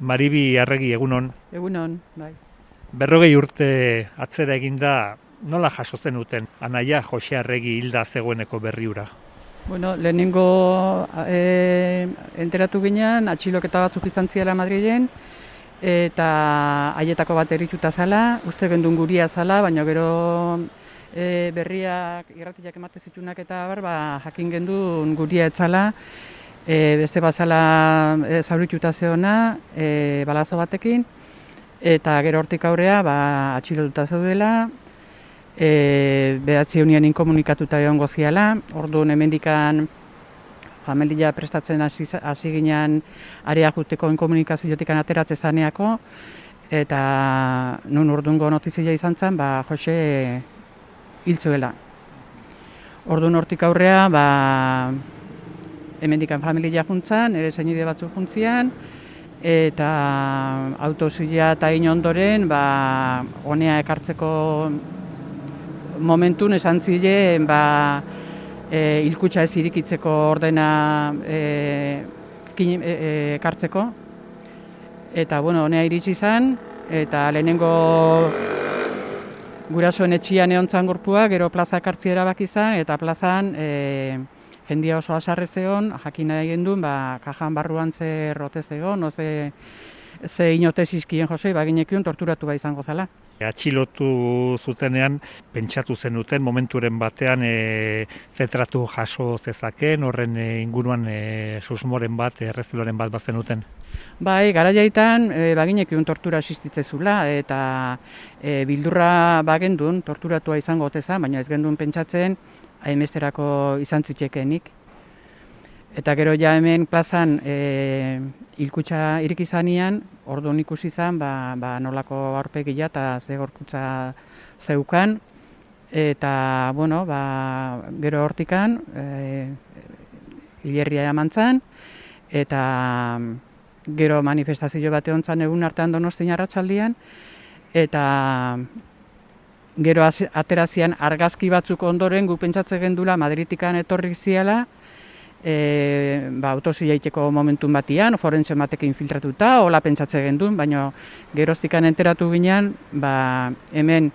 Maribi Arregi, egunon. Egunon, bai. 40 urte atzera eginda, nola jaso zenuten anaia Jose Arregi hilda zegoeneko berriura? Bueno, lehenengo enteratu ginean, atxiloketa batzuk izan ziela Madrilen, eta haietako bat erituta zala, uste gendun guria zala, baina gero berriak irratiak emate zitunak eta jakin gendun guria etzala, beste bazala zaurituta zeona, balazo batekin, eta gero hortik aurrea atxilotuta zeudela, behatzi egunean inkomunikatuta egon goziala, orduan hemendikan familia prestatzen hasi ginean area juteko inkomunikaziotik ateratzen zaneako, eta nun ordungo notizia izan zen, Jose hil zuela. Orduan hortik aurrea, hemendikan familia juntzan, ere senide batzuk juntzian, eta autozila eta ondoren, honea ekartzeko momentun esan ziren, hilkutxa ez irikitzeko ordena ekartzeko. Eta, honea iritsi izan, eta lehenengo gurasoen etxian egontzan gorpua, gero plaza ekartzi erabaki izan, eta plazan jendia oso asarrez egon, jakin nahi gendun, kajan barruan ze rotez egon, ze inotez izkien Jose, ginekion torturatu izango zala. Atxilotu zutenean, pentsatu zenuten momenturen batean zetratu jaso zezaken, horren inguruan susmoren bat, erreziloren bat bazenuten? Bai, garaiaitan baginekion tortura existitzezula, eta bildurra bagendun torturatua izango oteza, baina ez gendun pentsatzen hainbesterako izan zitzekenik. Eta gero ja hemen plazan hilkutxa irik izanean, orduan ikusi izan, nolako aurpegia eta ze gorputza zeukan. Eta, gero hortikan, hilerria eman zen, eta gero manifestazio bat egon zen egun artean Donostian arratsaldean, eta gero aterazian argazki batzuk ondoren gu pentsatzen gendula Madritikan etorrik ziala, autozila iteko momentun batian, forense batekin infiltratuta, hola pentsatzen gendun, baina geroztikan enteratu ginean, hemen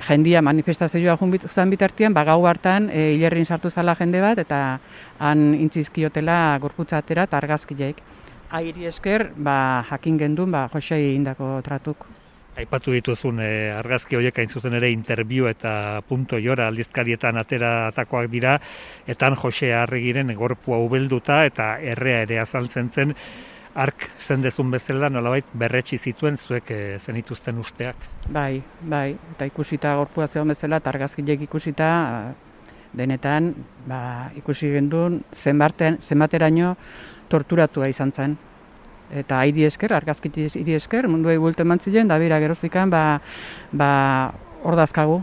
jendia manifestazioa junbitzen bitartian, gau hartan hilerrin sartu zala jende bat, eta han intzizkiotela gorputza atera eta argazkileik. Airi esker, jakin gendun, Josei indako tratuk. Aipatu dituzun argazki horiek hain zuzen ere Interview eta Punto Jora aldizkarietan ateratakoak dira, eta Jose Arregiren gorpua ubelduta eta errea ere azaltzen zen, ark zendezun bezala nolabait berretsi zituen zuek zenituzten usteak. Bai, eta ikusita gorpua zegoen bezala eta argazkileek ikusita, denetan ikusi gendun zenbateraino torturatua izan zen. Eta airi esker, argazkitiz hiri esker, munduei buelten mantzilen, da bera geroztikan, hor dazkagu.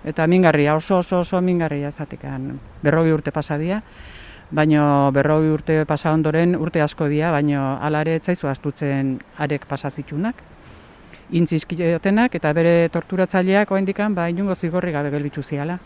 Eta mingarria, oso mingarria zatekan. 40 urte pasadia, baina 40 urte pasa ondoren urte asko dia, baina hala ere etzaizu astutzen arek pasazitunak, intzizkiotenak, eta bere torturatzaileak oendikan, inungo zigorri gabe gelbitu ziala.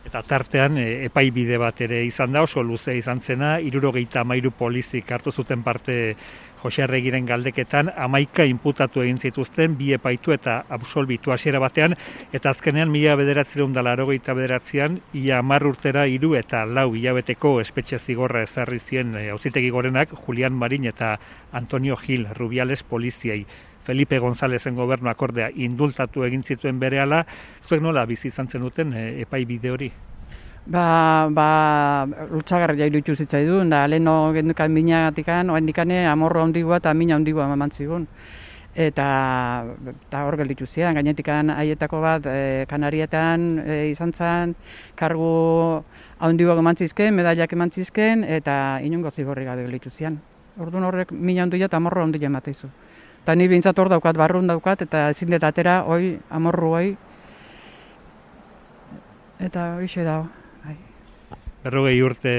Eta tartean epaibide bat ere izan da, oso luze izan zena, 73 polizik hartu zuten parte Jose Arregiren galdeketan, 11 inputatu egin zituzten, 2 epaitu eta absolbitu hasiera batean, eta azkenean 1989an, ia 10 urtera 3 eta 4 hilabeteko espetxe zigorra ezarri zien auzitegi gorenak Julian Marin eta Antonio Gil Rubiales poliziei. Felipe Gonzálezen gobernu akordea indultatu egin zituen berehala, zuek nola bizi izan zenuten epaibide hori? Lutsagarria iruditu zitzaidun, da leheno gendukan minagatikan, oendikane amorro handigua eta mina handigua mamantzigun. Eta hor gelditu zian, gainetikan haietako bat Kanarietan izan zen, kargu handiak emantzizken, medailak emantzizken, eta inungo zigorri gabe gelditu zian. Orduan horrek mina handia eta amorro handia emateizu. Eta ni bintzat hor daukat, barrun daukat, eta ezin dut atera, amorru hoi. Eta hoxe dago. 40 urte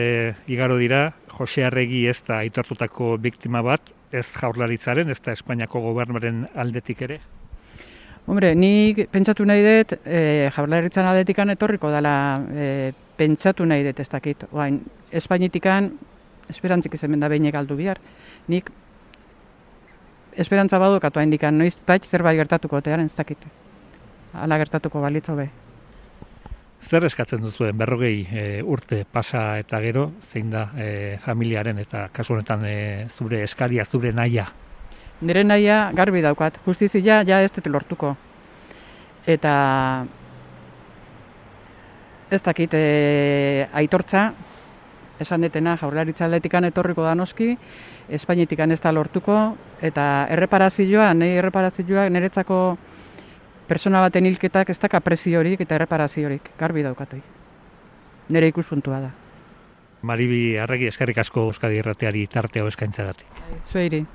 igaro dira, Jose Arregi ez da aitortutako biktima bat, ez Jaurlaritzaren, ez da Espainiako gobernuaren aldetik ere? Hombre, nik pentsatu nahi dut, Jaurlaritzan aldetikan etorriko dela, pentsatu nahi dut ez dakit. Espainitikan, esperantzik hemen da behinek aldu bihar. Nik esperantza badukatu indikan, noiz bait zerbait gertatuko otearen ez dakite. Hala gertatuko balitzo be. Zer eskatzen duzuen 40 urte pasa eta gero, zein da familiaren eta kasu honetan zure eskaria, zure nahia? Nire nahia garbi daukat, justizia ja ez dut lortuko. Eta ez dakit aitortza, esan detena Jaurlaritza aldetikan etorriko da noski, Espainetikan ez da lortuko, eta erreparazioa niretzako persona baten hilketak ez da kapreziorik eta erreparaziorik, garbi daukatoi. Nire ikuspuntua da. Maribi Arregi, eskerrik asko Euskadi Irratiari tartea eskaintzagatik. Zueiri.